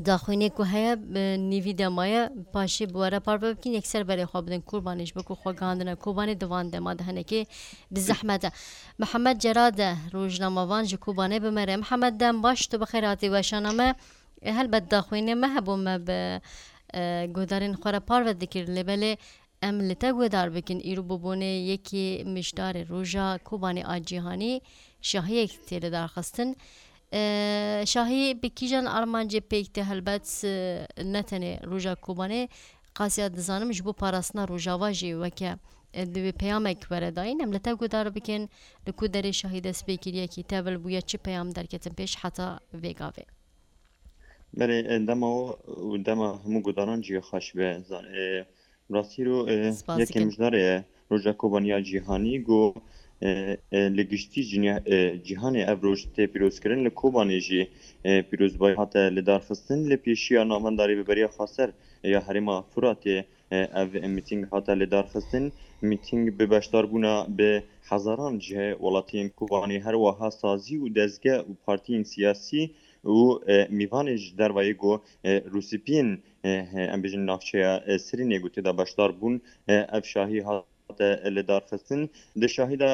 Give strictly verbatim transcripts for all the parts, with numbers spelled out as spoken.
daxwînê ku heye, bi nîvî dema ye, paşê bi we re parve bikin, yekser berê xwe bidin Kobanê, ji bo ku xwe gihandine Kobanê di van dema de hinekê bi zehmet e. Mihemed Cerade, rojnamevan ji Kobanê bi me re. Mihemed, dem baş, tu bi xêr hatî weşana me. E, helbet daxwînê me hebû, me bi, e, guhdarên xwe re parve dikir, lê belê em li te guhdar bikin, îro bi bonê yekê mijdarê roja Kobanê a cîhanî şahiyek tê lidarxistin. E, şahî bi kîjan armancê pêk tê? Helbet, e, ne tenê roja Kobanê, qasya dizanim ji bo parastina Rojava jî weke, e, divê peyamek were dayîn. Em li te guhdar bikin, li ku derê şahî dest pê kiriye, kî tevil bûye, çi peyam derketin pêş heta vê gavê? Belê, e, dema we û dema hemû guhdaran jî xweş be. Zan-, e, rastî ro, e, Spas yekê dikim. Mijdarê ye. Roja Kobanî ya Cîhanî ku, e, e, li giştî jinya-, e, cîhanê ev roj tê pîrozkirin, li Kobanê jî, e, pîrozbayî hate lidarxistin. Li pêşiya Navenda Rêveberiya Xweser ya Herêma Furatê, e, ev mîtîng hate lidarxistin. Mîtîng bi beşdarbûna bi hezaran ji welatiyên Kobanê, her wiha sazî û dezge û partiyên siyasî û, e, mîvanê ji dervayê ku, e, rûspiyên, e, he, em bêjin navçeya, e, Sirînê ku tê de beşdar bûn, e, ev şahî hate lidarxistin. Di şahî de,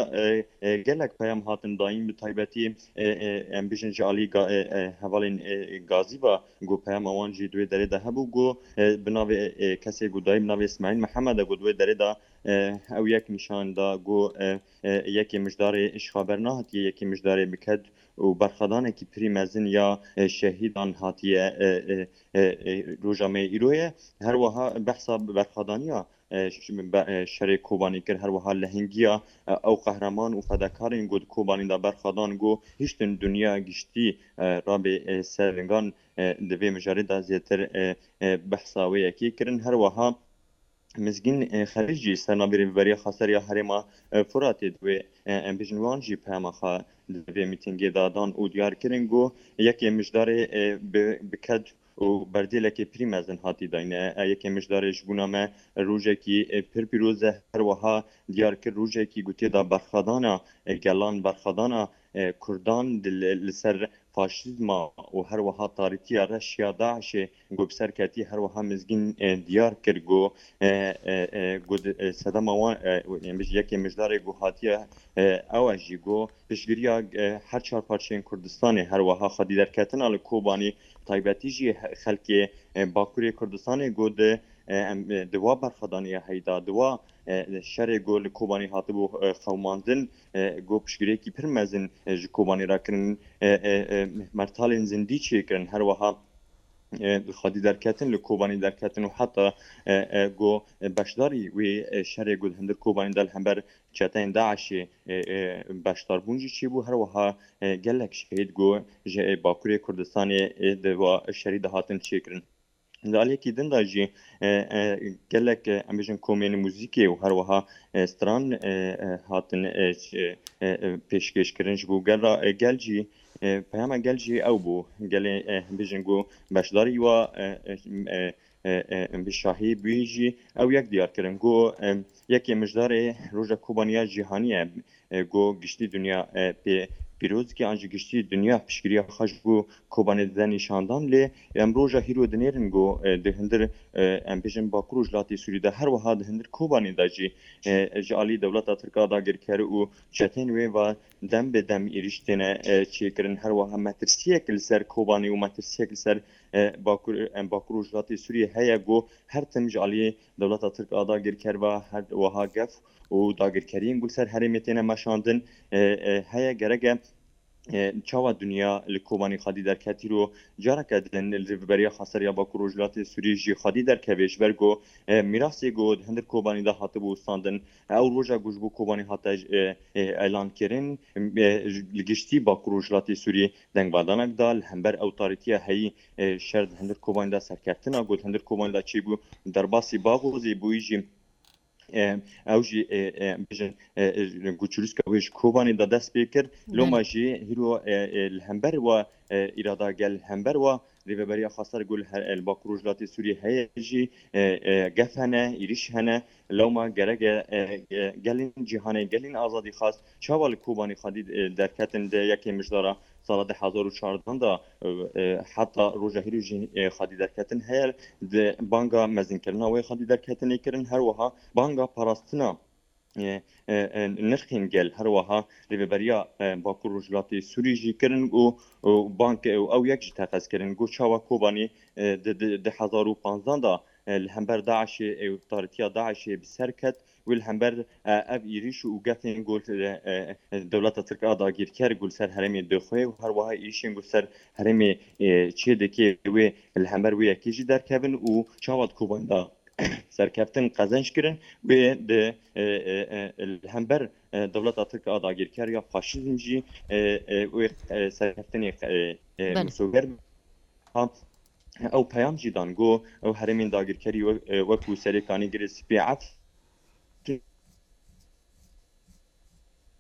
e, e, gelek peyam hatin dayîn, bi taybetî, e, e, em bêjin ji alî ga-, e, e, hevalên, e, Gazî ve ku peyama wan jî di wê derê de hebû ku, e, bi navê, e, kesê ku dayî bi navê Îsmaîl Mihemed e ku di wê derê de, e, ew yek nîşan da ku, e, e, yekê mijdarê ji xwe bernehatiye, yekê mijdarê bi ked û berxwedanekî pirî mezin ya, e, şehîdan hatiye, e, e, e, e, roja me îro ye. Her wiha behsa berxwedaniya, e, ş-, be-, e, şerê Kobanî kir, her wiha lehingiya, e, ew qehreman û fedekarên ku di Kobanî de berxwedan ku hiştin dinya giştî, e, rabê, e, ser lingan, e, di vê mijarê de zêtir, e, e, behsa wê yekê kirin. Her wiha Mizgîn, e, Xelîl jî sernavê Rêveberiya Xweser ya Herêma, e, Furatê di wê, e, em bêjin wan jî peyama xwe di vê mîtîngê de dan û diyar kirin ku yekê mijdarê, e, bi, bi ked û berdêlekê pirî mezin hatî dayîn. E, yekê mijdarê ji bona me rojekî, e, pir pîroz e, her wiha diyar kir rojekî ku tê de berxwedana, e, gelan, berxwedana, e, Kurdan di, li, li ser faşîzma û her wiha tarîtiya reş ya DAIŞê ku bi ser ketî, her wiha Mizgîn, e, diyar kir ku, e, e, e, ku di, e, sedema wan, e, em bêjin yekê mijdarê ku hatiye, e, ew e jî ku piştgiriya, e, her çar parçeyên Kurdistanê, her wiha xwedî derketina li Kobanî, taybetî jî he-, xelkê, e, Bakurê Kurdistanê ku di, e, em, e, di wa berxwedaniya heyî de, di wa, e, şerê ku li Kobanî hatibû, e, qewimandin, e, ku piştgiriyekî pir mezin, e, ji Kobanî re kirin, e, e, e, mertalên zindî çêkirin, her wiha, e, xwedî derketin, li Kobanî derketin û heta, e, e, ku beşdarî wê, e, şerê ku di hundir Kobanî de li hember çeteyên DAIŞê, e, e, beşdarbûn jî çêbû, her wiha, e, gelek şehîd ku ji, e, Bakurê Kurdistanê, e, di wa şerî de hatin çêkirin. Di aliyekî din de jî, e, e, gelek, e, em bêjin komên muzîkê û her wiha, e, stran, e, e, hatin, e, ç-, e, e, e, pêşkêş kirin ji bo gel re, e, gel jî, e, peyama gel jî ew bû. Gelê, e, em bêjin ku beşdarî wa, e, e, e, e, e, em bê şahî bûyî jî ew yek diyar kirin ku, e, yekê mijdarê roja Kobanî ya cîhanî ye. E, ku giştî dinya, e, pê pîroz dike, an jî giştî dinya piştgiriya xwe ji bo Kobanê dide nîşandan. Lê em roja hîro dinêrin ku, e, di hundir, e, em bêjin Bakur û Rojhilatê Sûrî de, her wiha di hundir Kobanê de jî, e, ji alî dewleta Tirk a dagirker û çeteyên wê ve dem bi dem êrîş têne, e, çêkirin. Her wiha metirsiyek li ser Kobanê û metirsiyek li ser, e, Bakur, em Bakur û Rojhilatê Sûriyê heye ku her tim ji alî dewleta Tirk a dagirker ve her wiha gef û dagirkeriyên ku li ser herêmê têne meşandin, e, e, heye, gerek e, e, çawa dinya li Kobanî xwedî derket, îro careke din li Rêveberiya Xweser ya Bakur Rojhilatê Sûriyê jî xwedî derkeve, ji ber ku, e, mîrasê ku di hundir Kobanî de hatibû wistandin, ew roja ku ji bo Kobanî hate, e, e, elan kirin, e, li giştî Bakur Rojhilatê Sûriyê dengvedanek da, li hember ew tarîtiya heyî, e, şer di hundir Kobanî de serkeftina ku di hundir Kobanî de çêbû, derbasî Baxozê bûyî jî, e, ew jî, e, e, bêjin, e, e, ku çirûska wê ji Kobanê de dest pê kir. Loma jî hîro, e, e, li hember wa, e, îrada gel, li hember wa Rêveberiya Xweser ku li her, li Bakur Rojhilatê Sûriyê heye jî, e, e, gef hene, êrîş hene. Lewma gerek e, e, e, gelên cîhanê, gelên azadîxwaz çawa li Kobanê xwedî, e, derketin di yekê mijdara sala du hezar û çardeh de, e, e, heta roja hîrê jî, e, xwedî derketin heye. Di banga mezinkirina wê xwedî derketinê kirin, her wiha banga parastina, e, e, e, nirxên gel, her wiha Rêveberiya, e, Bakur Rojhilatê Sûrî jî kirin û, û bank, û ew yek jî teqez kirin ku çawa Kobanî, e, di, di, du hezar û panzdeh de, e, li hember DAIŞê, e, û tarîtiya DAIŞê bi ser ket, wê li hember, e, ev êrîş û gefên ku, e, e, dewleta Tirk a dagîrker ku li ser herêmê dixwe û her wiha êrîşên ku li ser herêmê, e, çê dike wê li hember wê yekê jî derkevin û çawa di Kobanî de serkeftin qezenc kirin, wê di, e, e, e, li hember, e, dewleta Tirk a dagîrker ya faşîzm jî, e, e, wê, e, serkeftinê, e, e, Belê. misoger ha, ew peyam jî dan ku ew herêmên dagirkerî we-, e, wekû Serê Kanî, Girê Spî,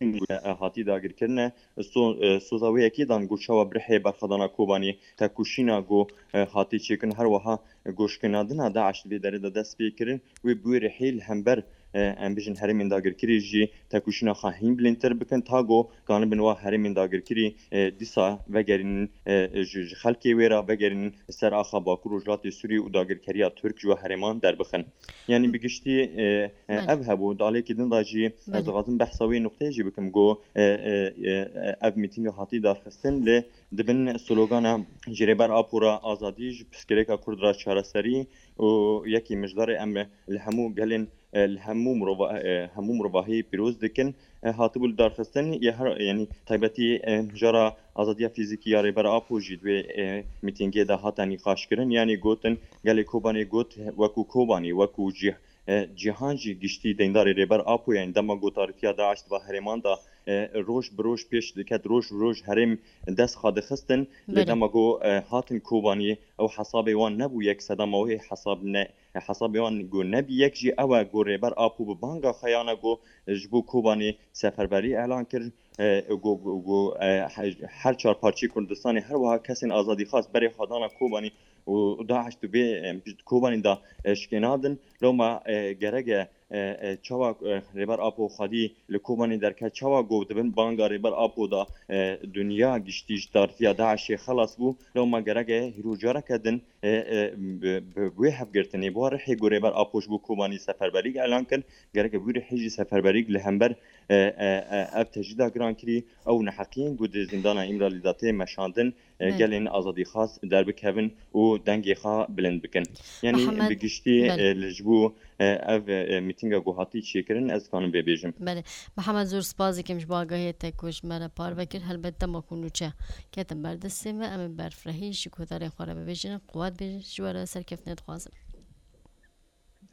Efrîn hatî dagirkirine. So-, e, soza wê yekê dan ku çawa bi rihê berxwedana Kobanî tekoşîna ku, e, hatî çêkirin, her wiha goşkinandina DAIŞ di vê derê de dest pê kirin, wê bi wê rihê li hember, e, em bijin herêmên dagirkirî jî tekoşîna xwe hîn bilindtir bikin, ta ku kanibin wa herêmên dagirkirî, e, dîsa vegerînin, e, ji, ji xelkê wê re vegerînin ser axa Bakur Rojhilatê Sûrî û dagirkeriya Tirk ji we herêman derbixin. Yanî bi giştî, e, e, Belê. ev hebû. Di aliyekî din de jî ez Belê. dixwazim behsa wê nuqteyê jî bikim ku, e, e, e, ev mîtînga hatî darxistin, lê di bin slogana ji Rêber Apo re azadî, ji pirsgirêka Kurd re çareserî û yekî mijdarê em li hemû gelên, e, li hemû mirova-, e, hemû mirovahiyê pîroz dikin, e, hatibû li darxistin. Ya her, yanî taybetî, e, mijara azadiya fîzîkî ya Rêber Apo jî di wê, e, mîtîngê de hate nîqaşkirin. Yanî gotin, gelê Kobanê got, wekû Kobanî, wekû cî-, e, cîhan jî giştî deyndarê Rêber Apo ye. Yanî dema ku tarîtiya DAIŞ di va herêman de, e, roj bi roj pêş diket, roj bi roj herêm dest xwe dixistin. Lê Belê. dema ku, e, hatin Kobanî, ew hesabê wan nebû yek sedema wê hesab ne, hesabê wan ku nebî yek jî ew e ku Rêber Apo bi banga xwe yana ku ji bo Kobanî seferberî elan kir, e, ku, ku, ku, e, he-, her çar parçeyê Kurdistanê her wiha kesên azadîxwaz berê xwe dana Kobanî û DAIŞ di vê, e, Kobanî de, e, şikênandin. Loma, e, gerek e, e, e, çawa, e, Rêber Apo xwedî li Kobanî derket, çawa ku di bin banga Rêber Apo de, e, dinya giştî ji tarîtiya DAIŞê xelas bû. Loma gerek e hîro careke din, e, e, bi, bi wê hevgirtinê, bi wa rihê ku Rêber Apo ji bo Kobanî seferberîk elan kir, gerek e bi wî rihê jî seferberîk li hember, e, e, e, ev tecrîda girankirî, ew neheqiyên ku di zîndana Îmralî de tê meşandin, e, Belê. gelên azadîxwaz derbikevin û dengê xwe bilind bikin. Yanî Mihemed, bi giştî, belê. e, li ji bo, e, ev, e, mîtînga ku hatî çêkirin, ez dikanim vê bêjim. Belê. Mihemed, zor spas dikim ji bo agahiyê te ku ji me re parve kir. Helbet dema ku nûçe ketin ber destê me, em ê berfirehî ji guhdarên xwe re bibêjin. Quwet bê ji we re, serkeftinê dixwazim.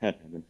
Her hebin.